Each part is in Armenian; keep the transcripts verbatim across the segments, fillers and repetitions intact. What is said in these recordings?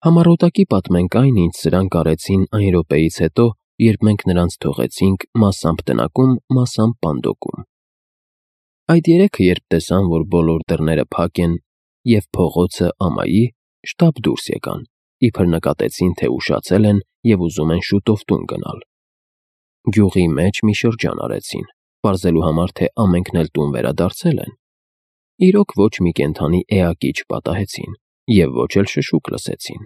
Համառոտակի պատմենք այն, ինչ սրանք արեցին այն րոպեից հետո, երբ մենք նրանց թողեցինք մասամբ տնակում, մասամբ պանդոկում։ Այդ երեքը, երբ տեսան, որ բոլոր դռները փակ են և փողոցը ամայի, շտապ դուրս եկան, իբր նկատեցին, թե ուշացել են և ուզում են շուտով տուն գնալ։ Գյուղի մեջ մի շրջան արեցին, պարզելու համար, թե ամենքն էլ տուն վերադարձել են։ Իրոք ոչ մի կենդանի էակի չպատահեցին և ոչ էլ շշուկ լսեցին։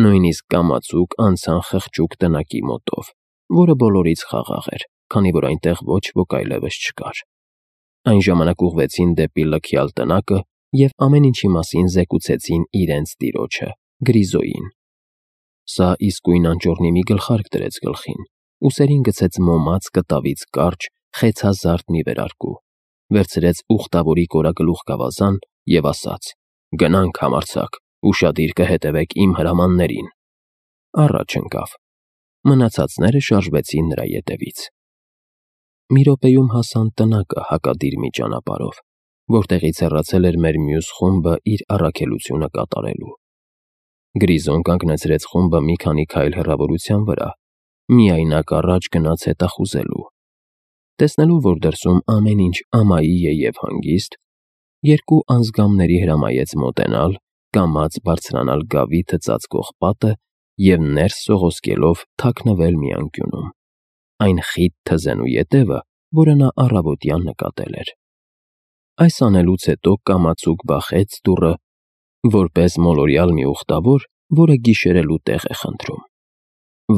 Նույնիսկ կամացուկ անցան խղճուկ տնակի մոտով, որը բոլորից խաղաղ էր, քանի որ այնտեղ ոչ ոք այլևս չկար։ Այն ժամանակ ուղղվեցին դեպի լքյալ տնակը և ամեն ինչի մասին զեկուցեցին իրենց տիրոջը՝ Գրիզոյին։ Սա իսկույն անճոռնի մի գլխարկ դրեց գլխին, ուսերին գցեց մոմած կտավից կարճ, խեցազարդ մի վերարկու, վերցրեց ուխտավորի կորագլուխ գավազան և ասաց. «Գնանք, համարձակ, ուշադիր կհետևեք իմ հրամաններին»։ Առաջ ընկավ։ Մնացածները շարժվեցին նրա ետևից։ Մի րոպեում հասան տնակը հակադիր մի ճանապարհով, որտեղից հեռացել էր մեր մյուս խումբը իր առաքելությունը կատարելու։ Գրիզոն կանգնեցրեց խումբը մի քանի քայլ հեռավորության վրա, միայնակ առաջ գնաց հետախուզելու։ Տեսնելով, որ դրսում ամեն ինչ ամայի է և հանգիստ, երկու անձգամների հրամայեց մոտենալ, կամաց բարձրանալ գավիթը ծածկող պատը և ներս սողոսկելով թաքնվել մի անկյունում։ Այն խիտ թզենու ետևը, որը նա առավոտյան նկատել էր։ Այս անելուց հետո կամացուկ բախեց դուռը, որպես մոլորյալ մի ուխտավոր, որը գիշերելու տեղ է խնդրում։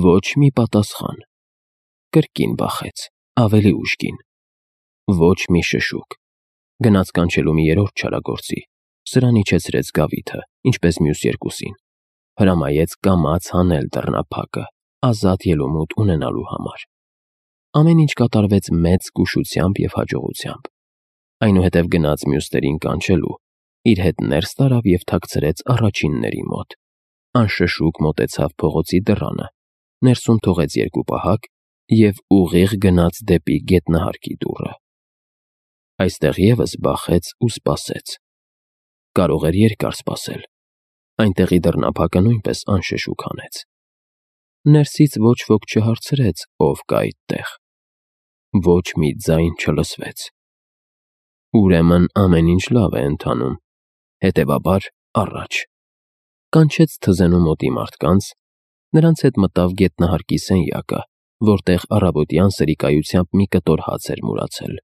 Ոչ մի պատասխան։ Կրկին բախեց, ավելի ուժգին։ Ոչ մի շշուկ։ Գնաց կանչելու մի երրորդ չարագործի, սրան իջեցրեց գավիթը, ինչպես մյուս երկուսին, հրամայեց կամաց հանել դռնափակը, ազատ ելումուտ ունենալու համար։ Ամեն ինչ կատարվեց մեծ զգուշությամբ և հաջողությամբ։ Այնուհետև գնաց մյուսներին կանչելու, իր հետ ներս տարավ և թաքցրեց առաջինների մոտ։ Անշշուկ մոտեցավ փողոցի դռանը, ներսում թողեց երկու պահակ և ուղիղ գնաց դեպի գետնահարկի դուռը։ Այստեղ ևս բախեց ու սպասեց։ Կարող էր երկար սպասել։ Այնտեղի դռնափակը նույնպես անշշուկ հանեց։ Ներսից ոչ ոք չհարցրեց, ով կա այդտեղ։ Ոչ մի ձայն չլսվեց։ Ուրեմն ամեն ինչ լավ է ընթանում, հետևաբար առաջ։ Կանչեց թզենու մոտի մարդկանց, նրանց հետ մտավ գետնահարկի սենյակը, որտեղ առավոտյան սրիկայությամբ մի կտոր հաց էր մուրացել։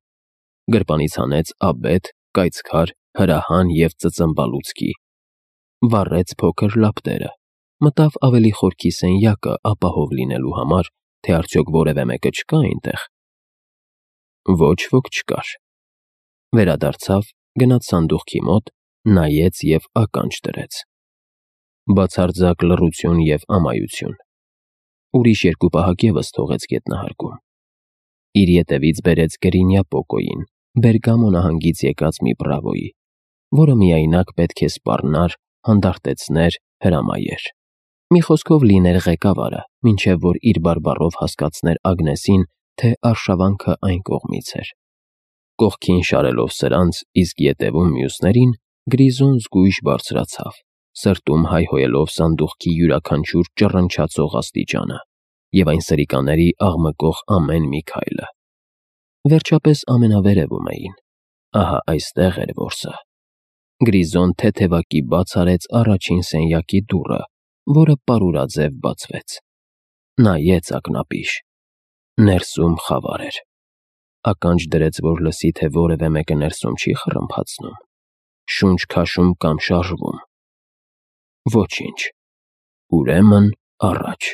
Գրպանից հանեց աբեթ, կայծքար, հրահան և ծծմբալուцկի։ Վառեց փոքր լապտերը, մտավ ավելի խորքի սենյակը ապահով լինելու համար, թե արդյոք որևէ մեկը չկա այնտեղ։ Ոչ ոք չկար։ Վերադարձավ, գնաց սանդուղքի մոտ, նայեց և ականջ դրեց։ Բացարձակ լռություն և ամայություն։ Ուրիշ երկու պահակ ևս թողեց գետնահարկում։ Իր ետևից բերեց Գրինյա Պոկոյին, Բերգամո նահանգից եկած մի բրավոյի, որը միայնակ պետք է սպառնար, հանդարտեցներ, հրամայեր։ Մի խոսքով լիներ ղեկավարը, մինչև որ իր բարբառով հասկացներ Ագնեսին, թե արշավանքը այն կողմից էր։ Կողքին շարելով սրանց, իսկ ետևում մյուսներին, Գրիզոն զգույշ բարձրացավ, սրտում հայհոյելով սանդուղքի յուրաքանչյուր ճռնչացող աստիճանը և այն սրիկաների աղմկող ամեն մի քայլը։ Վերջապես ամենավերևում էին։ Ահա այստեղ էր որսը։ Գրիզոն թեթևակի բաց արեց առաջին սենյակի դուռը, որը պարուրաձև բացվեց։ Նայեց ակնապիշ։ Ներսում խավար էր։ Ականջ դրեց, որ լսի, թե որևէ մեկը ներսում չի խռմփացնում, շունչ քաշում կամ շարժվում։ Ոչինչ։ Ուրեմն առաջ։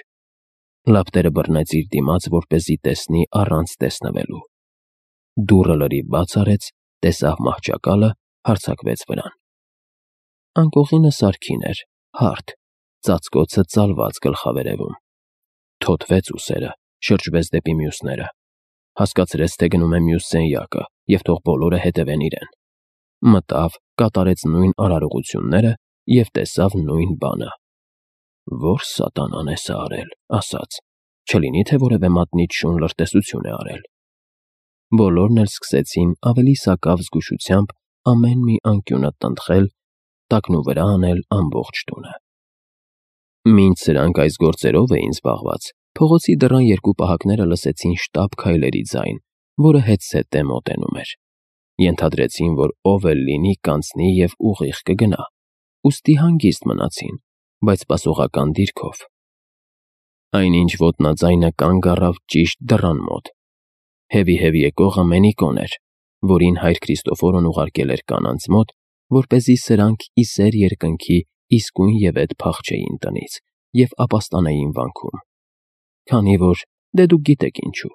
Լապտերը բռնեց իր դիմաց, որպեսզի տեսնի առանց տեսնվելու։ Դուռը լրիվ բաց արեց, տեսավ մահճակալը, հարձակվեց վրան։ Անկողինը սարքին էր, հարթ, ծածկոցը ծալված գլխավերևում։ Թոթվեց ուսերը, շրջվեց դեպի մյուսները։ Հասկացրեց, թե գնում է մյուս սենյակը և թող բոլորը հետևեն իրեն։ Մտավ, կատարեց նույն արարողությունները և տեսավ նույն բանը։ Ո՞ր սատանան է սա արել, ասաց, չլինի թե որևէ մատնիչ շուն լրտեսություն է արել։ Բոլորն էլ սկսեցին ավելի սակավ զգուշությամբ ամեն մի անկյունը տնտղել, տակնուվրա անել ամբողջ տունը։ Մինչ սրանք այս գործերով էին զբաղված, փողոցի դռան երկու պահակները լսեցին շտապ քայլերի ձայն, որը հետզհետե մոտենում էր։ Ենթադրեցին, որ ով էլ լինի կանցնի և ուղիղ կգնա, ուստի հանգիստ մնացին, բայց սպասողական դիրքով։ Այնինչ ոտնաձայնը կանգ առավ ճիշտ դռան մոտ։ Հևի-հևի եկողը Մենիկոն էր, որին հայր Քրիստոֆորն ուղարկել էր կանանց մոտ, որպեսզի սրանք ի սեր երկնքի իսկույնևեթ փախչեին տնից և ապաստանեին վանքում։ Քանի որ դե դուք գիտեք ինչու։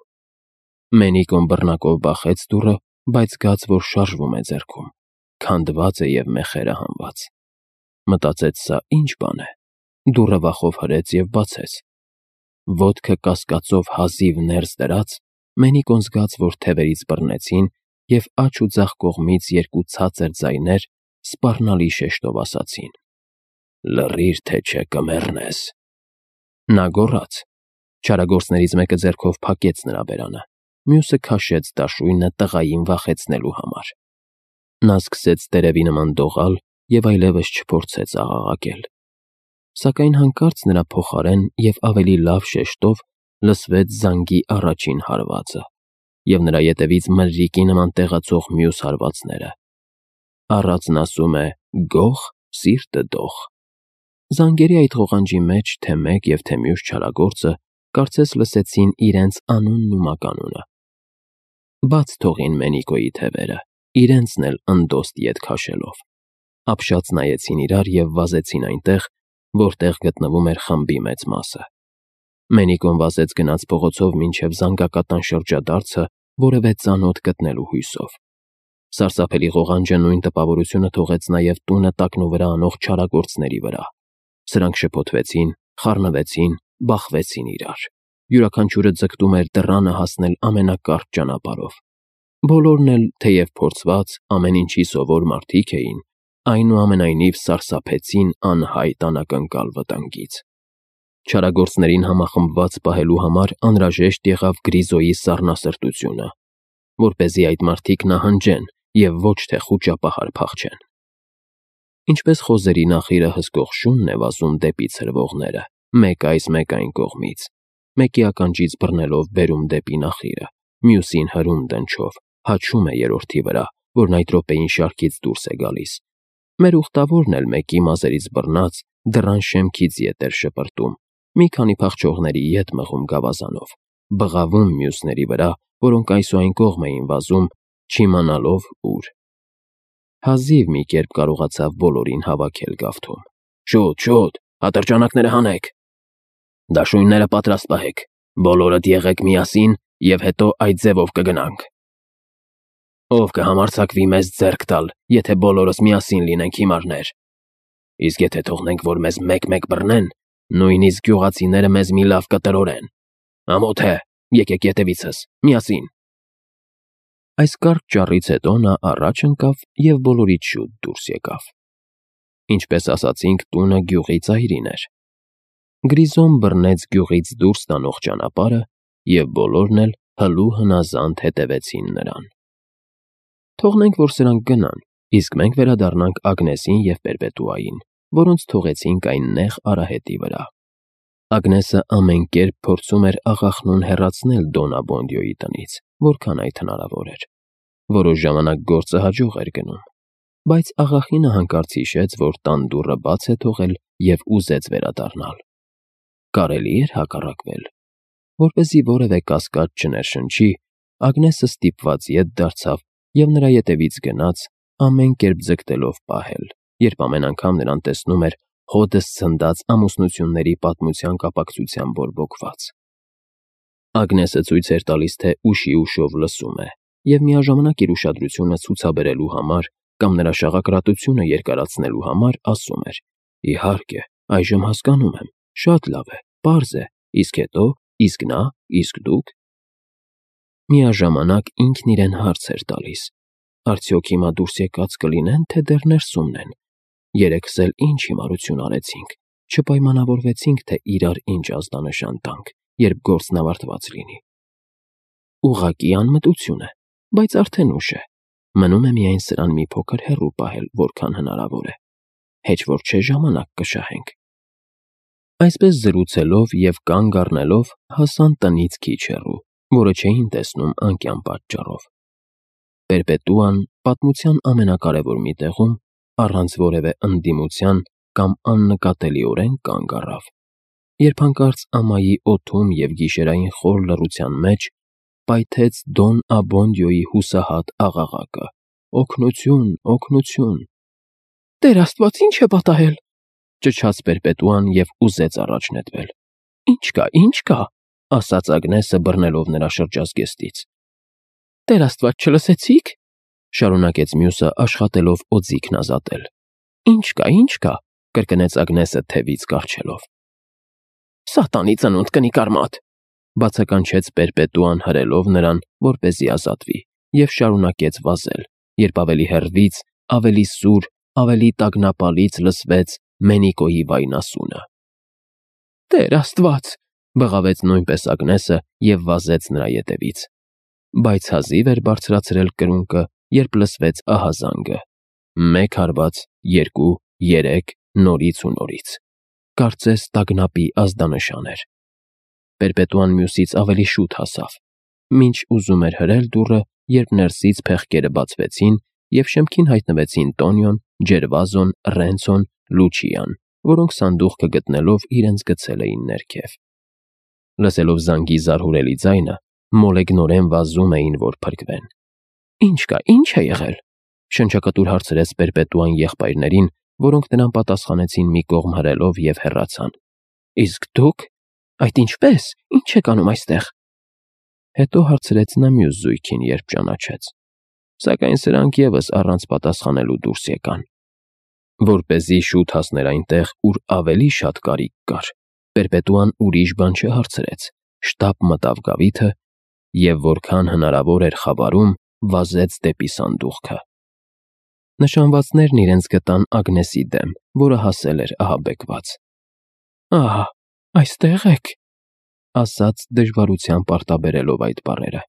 Մենիկոն բռնակով բախեց դուռը, բայց զգաց, որ շարժվում է ձեռքում, քանդված է և մեխերը հանված։ Մտածեց՝ սա ինչ բան է։ Դուռը վախով հրեց և բացեց։ Ոտքը կասկածով հազիվ ներս դրած, Մենիկոն զգաց, որ թևերից բռնեցին և աջ ու ձախ կողմից երկու ցածր ձայներ սպառնալի շեշտով ասացին. «Լռիր, թե չէ կմեռնես»։ Նա գոռաց։ Չարագործներից մեկը ձեռքով փակեց նրա բերանը, մյուսը քաշեց դաշույնը տղային վախեցնելու համար։ Նա սկսեց տերևի նման դողալ և այլևս չփորձեց աղաղակել։ Սակայն հանկարծ նրա փոխարեն և ավելի լավ շեշտով լսվեց զանգի առաջին հարվածը և նրա ետևից մրրիկի նման տեղացող մյուս հարվածները։ Առածն ասում է. «Գող, սիրտը դող»։ Զանգերի այդ ղողանջի մեջ թե մեկ և թե մյուս չարագործը կարծես լսեցին իրենց անունն ու մականունը։ Բաց թողին Մենիկոյի թևերը, իրենցն էլ ընդոստ ետ քաշելով։ Ապշած նայեցին իրար և վազեցին այնտեղ, որտեղ գտնվում էր խմբի մեծ մասը։ Մենիկոն վազեց գնաց փողոցով մինչև զանգակատան շրջադարձը որևէ ծանոթ գտնելու հույսով։ Սարսափելի ղողանջը նույն տպավորությունը թողեց նաև տունը տակնուվրա անող չարագործների վրա։ Սրանք շփոթվեցին, խառնվեցին, բախվեցին իրար։ Յուրաքանչյուրը ձգտում էր դռանը հասնել ամենակարճ ճանապարհով։ Բոլորն էլ, թեև փորձված, ամեն ինչի սովոր մարդիկ էին, այնուամենայնիվ սարսափեցին անհայտ անակնկալ վտանգից։ Չարագործներին համախմբված պահելու համար անհրաժեշտ եղավ Գրիզոյի սառնասրտությունը, որպեսզի այդ մարդիկ նահանջեն և ոչ թե խուճապահար փախչեն։ Ինչպես խոզերի նախիրը հսկող շունն է վազում դեպի ցրվողները, մեկ այս, մեկ այն կողմից, մեկի ականջից բռնելով բերում դեպի նախիրը, մյուսին հրում դնչով, հաչում է երրորդի վրա, որն այդ րոպեին շարքից դուրս է գալիս։ Մեր ուխտավորն էլ մեկի մազերից բռնած դռան շեմքից ետ էր շպրտում, մի քանի փախչողների ետ մղում գավազանով, բղավում մյուսների վրա, որոնք այս ու այն կողմ էին վազում, չիմանալով ուր։ Հազիվ մի կերպ կարողացավ բոլորին հավաքել գավթում։ «Շուտ, շուտ, ատրճանակները հանեք»։ «Դաշույնները պատրաստ պահեք, բոլորդ եղեք միասին և հետո այդ ձևով կգնանք»։ «Ով կհամարձակվի մեզ ձեռք տալ, եթե բոլորս միասին լինենք հիմարներ»։ «Իսկ եթե թողնենք, որ մեզ մեկ֊մեկ բռնեն, նույնիսկ գյուղացիները մեզ մի լավ կտրորեն»։ «Ամոթ է, եկեք ետևիցս, միասին»։ Այս կարճ ճառից հետո նա առաջ ընկավ և բոլորից շուտ դուրս եկավ։ Ինչպես ասացինք, տունը գյուղի ծայրին էր։ Գրիզոն բռնեց գյուղից դուրս տանող ճանապարհը, և բոլորն էլ հլու հնազանդ հետևեցին նրան։ Թողնենք, որ սրանք գնան, իսկ մենք վերադառնանք Ագնեսին և Պերպետուային, որոնց թողեցինք այն նեղ արահետի վրա։ Ագնեսը ամեն կերպ փորձում էր աղախնուն հեռացնել Դոննա Բոնդիոյի տնից, որքան այդ հնարավոր էր։ Որոշ ժամանակ գործը հաջող էր գնում, բայց աղախինը հանկարծ հիշեց, որ տան դուռը բաց է թողել և ուզեց վերադառնալ։ Կարելի էր հակառակվել։ Որպեսզի որևէ կասկած չներշնչի, Ագնեսը ստիպված ետ դարձավ և նրա ետևից գնաց, ամեն կերպ ձգտելով պահել, երբ ամեն անգամ նրան տեսնում էր հօդս ցնդած ամուսնությունների պատմության կապակցությամբ բորբոքված։ Ագնեսը ցույց էր տալիս, թե ուշի ուշով լսում է, և միաժամանակ իր ուշադրությունը ցուցաբերելու համար կամ նրա շաղակրատությունը երկարացնելու համար ասում էր. «Իհարկե, այժմ հասկանում եմ, շատ լավ է, պարզ է, իսկ հետո, իսկ նա, իսկ դուք»։ Միաժամանակ ինքն իրեն հարց էր տալիս. արդյոք հիմա դուրս եկած կլինեն, թե դեռ ներսումն են։ Երեքս էլ ինչ հիմարություն արեցինք, չպայմանավորվեցինք, թե իրար ինչ ազդանշան տանք, երբ գործն ավարտված լինի։ Ուղղակի անմտություն է, բայց արդեն ուշ է։ Մնում է միայն սրան մի փոքր հեռու պահել, որքան հնարավոր է։ Հեչ որ չէ ժամանակ կշահենք։ Այսպես զրուցելով և կանգ առնելով հասան տնից քիչ հեռու, որը չէին տեսնում անկյան պատճառով։ Պերպետուան պատմության ամենակարևոր մի տեղում, առանց որևէ ընդդիմության կամ աննկատելիորեն կանգ առավ, երբ հանկարծ ամայի օդում և գիշերային խոր լռության մեջ պայթեց Դոն Աբոնդիոյի հուսահատ աղաղակը. «Օգնություն, օգնություն»։ «Տեր Աստված, ի՞նչ է պատահել», ճչաց Պերպետուան և ուզեց առաջ նետվել։ «Ինչ կա, ինչ կա», ասաց Ագնեսը բռնելով նրա շրջազգեստից։ «Տեր Աստված, չլսեցի՞ք», շարունակեց մյուսը աշխատելով օձիքն ազատել։ «Ինչ կա, ինչ կա», կրկնեց Ագնեսը թևից կառչելով։ «Սատանի ծնունդ կնի կարմատ», բացականչեց Պերպետուան հրելով նրան, որպեսզի ազատվի, և շարունակեց վազել, երբ ավելի հեռվից, ավելի սուր, ավելի տագնապալից լսվեց Մենիկոյի վայնասունը։ «Տեր Աստված», բղավեց նույնպես Ագնեսը և վազեց նրա ետևից, բայց հազիվ էր բարձրացրել կրունկը, երբ լսվեց ահազանգը. մեկ հարված, երկու, երեք, նորից ու նորից, կարծես տագնապի ազդանշան էր։ Պերպետուան մյուսից ավելի շուտ հասավ, մինչ ուզում էր հրել դուռը, երբ ներսից փեղկերը բացվեցին և շեմքին հայտնվեցին Տոնիոն, Ջերվազոն, Ռենցոն, Լուչիան, որոնք սանդուղքը գտնելով իրենց գցել էին ներքև։ Լսելով զանգի զարհուրելի ձայնը, մոլեգնորեն վազում էին, որ փրկվեն։ «Ինչ կա, ինչ է եղել», շնչակտուր հարցրեց Պերպետուան եղբայրներին, որոնք նրան պատասխանեցին մի կողմ հրելով և հեռացան։ «Իսկ դուք, այդ ինչպե՞ս, ինչ եք անում այստեղ», հետո հարցրեց նա մյուս զույգին, երբ ճանաչեց։ Սակայն սրանք ևս առանց պատասխանելու դուրս եկան։ Որպեսզի շուտ հասներ այնտեղ, ուր ավելի շատ կարիք կար, Պերպետուան ուրիշ բան չհարցրեց, շտապ մտավ գավիթը և, որքան հնարավոր էր խավարում, վազեց դեպի սանդուղքը։ Նշանվածներն իրենց գտան Ագնեսի դեմ, որը հասել էր ահաբեկված։ «Ահա, այստեղ եք», ասաց դժվարությամբ արտաբերելով այդ բառերը։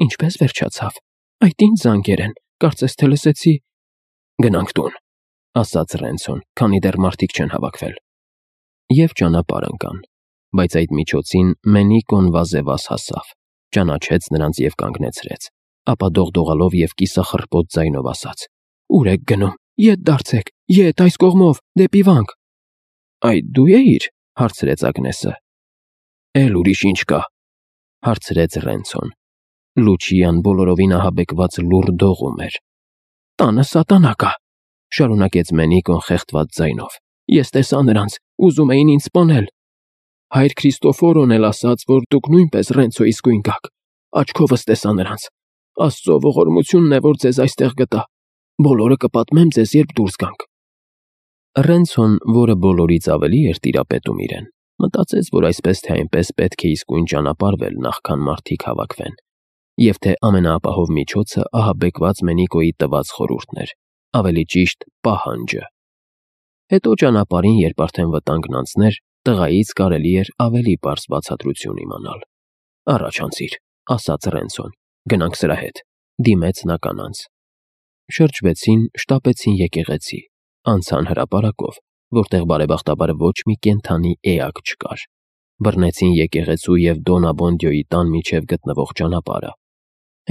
«Ինչպես վերջացավ։ Այդ ինչ զանգեր են, կարծես թե լսեցի»։ «Գնանք տուն», ասաց Ռենցոն, քանի դեռ մարդիկ չեն հավաքվել։ Եվ ճանապարհ ընկան, բայց այդ միջոցին Մենիկոն վազեվազ հասավ, ճանաչեց նրանց և կանգնեցրեց, ապա դողդողալով և կիսախռպոտ ձայնով ասաց. «Ո՞ւր եք գնում, ետ դարձեք, ետ, այս կողմով, դեպի վանք»։ «Այդ դու էիր», հարցրեց Ագնեսը։ «Էլ ուրիշ ինչ կա», հարցրեց Ռենցոն։ Լուչիան բոլորովին ահաբեկված լուռ դողում էր։ «Տանը սատանա կա», շարունակեց Մենիկոն խեղդված ձայնով։ «Ես տեսա նրանց, ուզում էին ինձ սպանել։ Հայր Քրիստոֆորոն էլ ասաց, որ դուք նույնպես Ռենցոյի իսկույն գաք։ Աչքովս տեսա նրանց։ Աստծո ողորմությունն է, որ ձեզ այստեղ գտա։ Բոլորը կպատմեմ ձեզ, երբ դուրս գանք»։ Ռենցոն, որը բոլորից ավելի էր տիրապետում իրեն, մտածեց, որ այսպես թե այնպես պետք է իսկույն ճանապարհվել, նախքան մարդիկ հավաքվեն, և թե ամենաապահով միջոցը ահաբեկված Մենիկոյի տված խորհուրդն էր, ավելի ճիշտ պահանջը։ Հետո ճանապարհին, երբ արդեն վտանգն անցներ, տղայից կարելի էր ավելի պարզ բացատրություն իմանալ։ «Առաջ անցիր», ասաց Ռենցոն, «գնանք սրա հետ», դիմեց նա կանանց։ Շրջվեցին, շտապեցին եկեղեցի, անցան հրապարակով, որտեղ բարեբախտաբար ոչ մի կենդանի էակ չկար, բռնեցին եկեղեցու և Դոն Աբոնդիոյի տան միջև գտնվող ճանապարհը։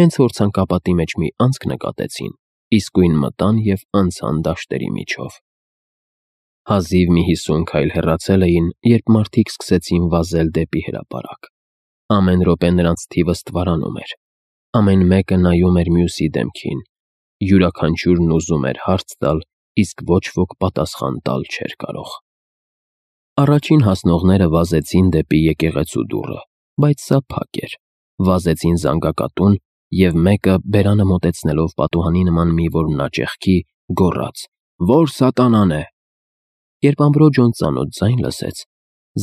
Հենց որ ցանկապատի մեջ մի անցք նկատեցին, իսկույն մտան և անցան դաշտերի միջով։ Հազիվ մի հիսուն քայլ հեռացել էին, երբ մարդիկ սկսեցին վազել դեպի հրապարակ։ Ամեն րոպե նրանց թիվը ստվարանում էր։ Ամեն մեկը նայում էր մյուսի դեմքին, յուրաքանչյուրն ուզում էր հարց տալ, իսկ ոչ ոք պատասխան տալ չէր կարող։ Առաջին հասնողները վազեցին դեպի եկեղեցու դուռը, բայց սա փակ էր։ Վազեցին զանգակատուն, և մեկը, բերանը մոտեցնելով պատուհանի նման մի որմնա ճեղքի, գոռաց. «Ո՞ր սատանան է»։ Երբ Ամբրոջոն ծանոթ ձայն լսեց,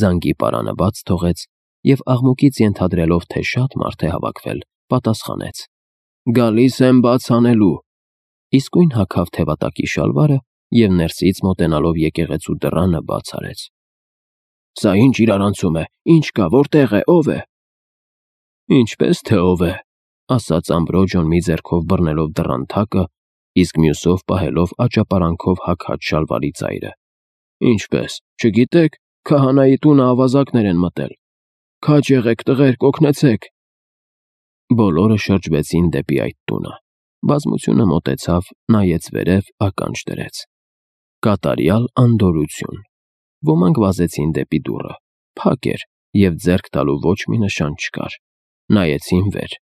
զանգի պարանը բաց թողեց և աղմուկից ենթադրելով, թե շատ մարդ է հավաքվել, պատասխանեց. «Գալիս եմ բաց անելու»։ Իսկույն հագավ թևատակի շալվարը և ներսից մոտենալով եկեղեցու դռանը բաց արեց։ «Սա ինչ իրարանցում է, ինչ կա, որտեղ է, ով է»։ «Ինչպես թե ով է», ասաց Ամբրոջոն մի ձեռքով բռնելով դռան թակը, իսկ մյուսով պահելով աճապարանքով հագած շալվարի ծայրը։ «Ինչպես, չգիտեք, Քահանայի տունը ավազակներ են մտել։ Քաջ եղեք, տղերք, օգնեցեք։ Բոլորը շրջվեցին դեպի այդ տունը։ Բազմությունը մոտեցավ, նայեց վերև, ականջ դրեց։ Կատարյալ անդորություն։ Ոմանք վազեցին դեպի դուռը։ Փակ էր, և ձեռք տալու ոչ մի նշան չկար։ Նայեցին վեր,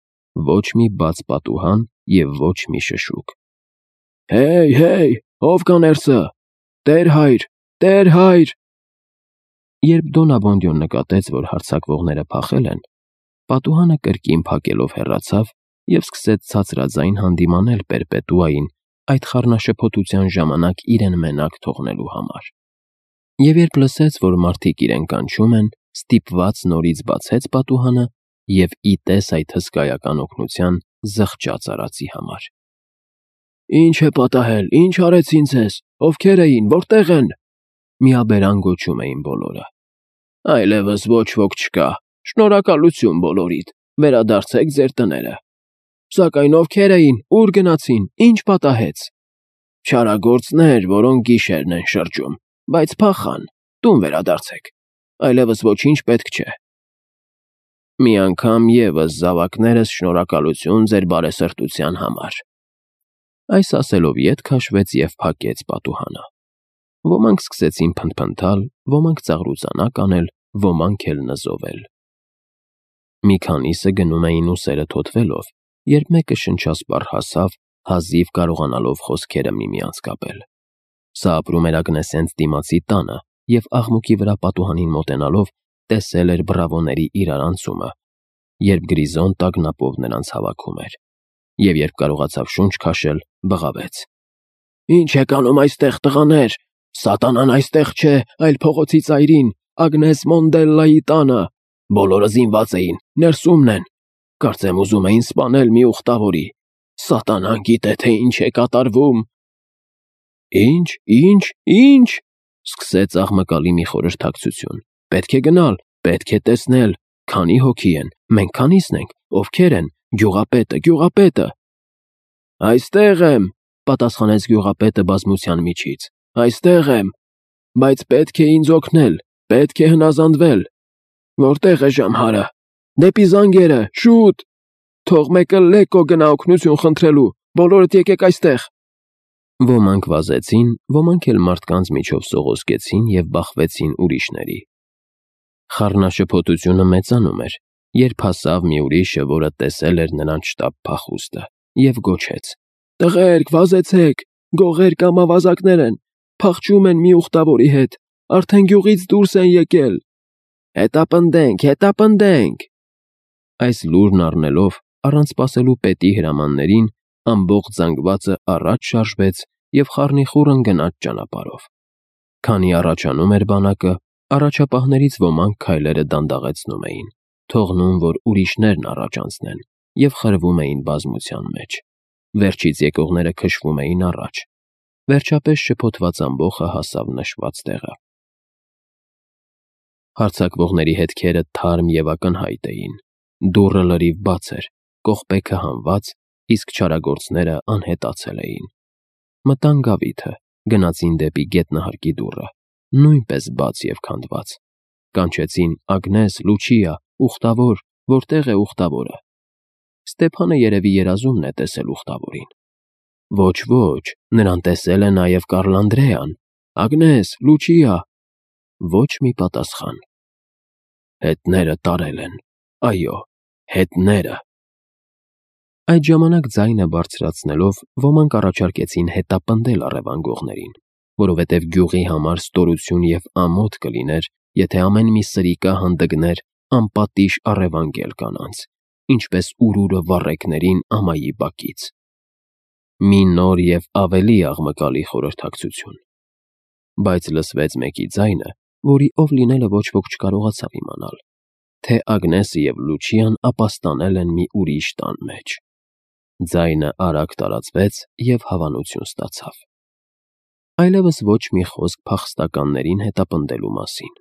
ոչ մի բաց պատուհան և ոչ մի շշուկ։ Հեյ, հեյ, ով կա ներսը։ Տեր հայր, Տեր հայր։ Երբ Դոն Աբոնդիոն նկատեց, որ հարձակվողները փախել են, պատուհանը կրկին փակելով հեռացավ և սկսեց ցածրաձայն հանդիմանել Պերպետուային այդ խառնաշփոթության ժամանակ իրեն մենակ թողնելու համար։ Եվ երբ լսեց, որ մարդիկ իրեն կանչում են, ստիպված նորից բացեց պատուհանը և ի տես այդ հսկայական օգնության զղջաց արածի համար։ Ինչ է պատահել, ինչ արեցին ձեզ, ովքեր էին, որտեղ են։ Միաբերան գոչում էին բոլորը։ Այլևս ոչ ոք չկա, շնորհակալություն բոլորիդ, վերադարձեք ձեր տները։ Սակայն ովքեր էին, ուր գնացին, ինչ պատահեց։ Չարագործներ, որոնք գիշերն են շրջում, բայց փախան, տուն վերադարձեք, այլևս ոչինչ պետք չէ։ Մի անգամ ևս զավակներս շնորհակալություն ձեր բարեսրտության համար։ Այս ասելով ետ քաշվեց և փակեց պատուհանը։ Ոմանք սկսեցին փնթփնթալ, ոմանք ծաղրուծանակ անել, ոմանք էլ նզովել։ Մի քանիսը գնում էին ուսերը թոթվելով, երբ մեկը շնչասպառ հասավ, հազիվ կարողանալով խոսքերը միմյանց կապել։ Սա ապրում էր Ագնեսենց դիմացի տանը և աղմուկի վրա պատուհանին մոտենալով տեսել էր բռավոների իրարանցումը, երբ Գրիզոն տագնապով նրանց հավաքում էր։ Եվ երբ կարողացավ շունչ քաշել, բղավեց. Ինչ եք անում այստեղ, տղաներ։ Սատանան այստեղ չէ, այլ փողոցի ծայրին, Ագնես Մոնդելլայի տանը։ Բոլորը զինված էին, ներսումն են։ Կարծեմ ուզում էին սպանել մի ուխտավորի։ Սատանան գիտե, թե ինչ է կատարվում։ Ինչ, ինչ, ինչ, սկսեց աղմկալի մի խորհրդակցություն։ Պետք է գնալ, պետք է տեսնել, քանի հոգի են, մենք քանիսն ենք, ովքեր են, գյուղապետը, գյուղապետը։ Այստեղ եմ, պատասխանեց գյուղապետը բազմության միջից։ Այստեղ եմ, բայց պետք է ինձ օգնել, պետք է հնազանդվել։ Որտեղ է ժամհարը։ Դեպի զանգերը, շուտ։ Թող մեկը լեկո գնա օգնություն խնդրելու, բոլորդ եկեք այստեղ։ Ոմանք վազեցին, ոմանք էլ մարդկանց միջով սողոսկեցին և բախվեցին ուրիշների։ Խառնաշփոթությունը մեծանում էր, երբ հասավ մի ուրիշը, որը տեսել էր նրանց շտապ փախուստը, և գոչեց. Տղերք, վազեցեք, գողեր կամ ավազակներ են, փախչում են մի ուխտավորի հետ, արդեն գյուղից դուրս են եկել։ Հետապնդենք, հետապնդենք։ Այս լուրն առնելով, առանց սպասելու պետի հրամաններին, ամբողջ զանգվածը առաջ շարժվեց և խառնիխուռն գնաց ճանապարհով։ Քանի առաջանում էր բանակը, առաջապահներից ոմանք քայլերը դանդաղեցնում էին, թողնում, որ ուրիշներն առաջ անցնեն, և խրվում էին բազմության մեջ։ Վերջից եկողները քշվում էին առաջ։ Վերջապես շփոթված ամբոխը հասավ նշված տեղը։ Հարձակվողների հետքերը թարմ և ակնհայտ էին։ Դուռը լրիվ բաց էր, կողպեքը հանված, իսկ չարագործները անհետացել էին։ Մտան գավիթը, գնացին դեպի գետնահարկի դուռը, նույնպես բաց և քանդված։ Կանչեցին. Ագնես, Լուչիա, ուխտավոր, որտեղ է ուխտավորը։ Ստեփանը երևի երազումն է տեսել ուխտավորին։ Ոչ, ոչ, նրան տեսել է նաև Կառլանդրեան։ Ագնես, Լուչիա։ Ոչ մի պատասխան։ Հետները տարել են, այո, հետները։ Այդ ժամանակ ձայնը բարձրացնելով, ոմանք առաջարկեցին հետապնդել առևանգողներին, որովհետև գյուղի համար ստորություն և ամոթ կլիներ, եթե ամեն մի սրիկա հանդգներ անպատիժ առևանգել կանանց, ինչպես ուրուրը վառեկներին ամայի բակից։ Մի նոր և ավելի աղմկալի խորհրդակցություն։ Բայց լսվեց մեկի ձայնը, որի ով լինելը ոչ ոք չկարողացավ իմանալ, թե Ագնեսը և Լուչիան ապաստանել են մի ուրիշ տան մեջ։ Ձայնը արագ տարածվեց և հավանություն ստացավ։ Այլևս ոչ մի խոսք փախստականներին հետապնդելու մասին։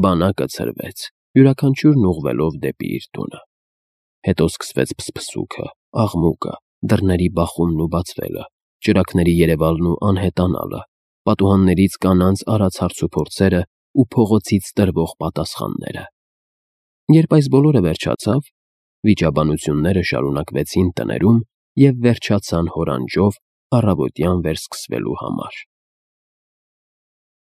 Բանակը ցրվեց, յուրաքանչյուրն ուղղվելով դեպի իր տունը։ Հետո սկսվեց փսփսուքը, աղմուկը, դռների բախումն ու բացվելը, ճրագների երևալն ու անհետանալը, պատուհաններից կանանց արած հարցուփորձերը ու փողոցից տրվող պատասխանները։ Երբ այս բոլորը վերջացավ, վիճաբանությունները շարունակվեցին տներում և վերջացան հորանջով առավոտյան վերսկսվելու համար։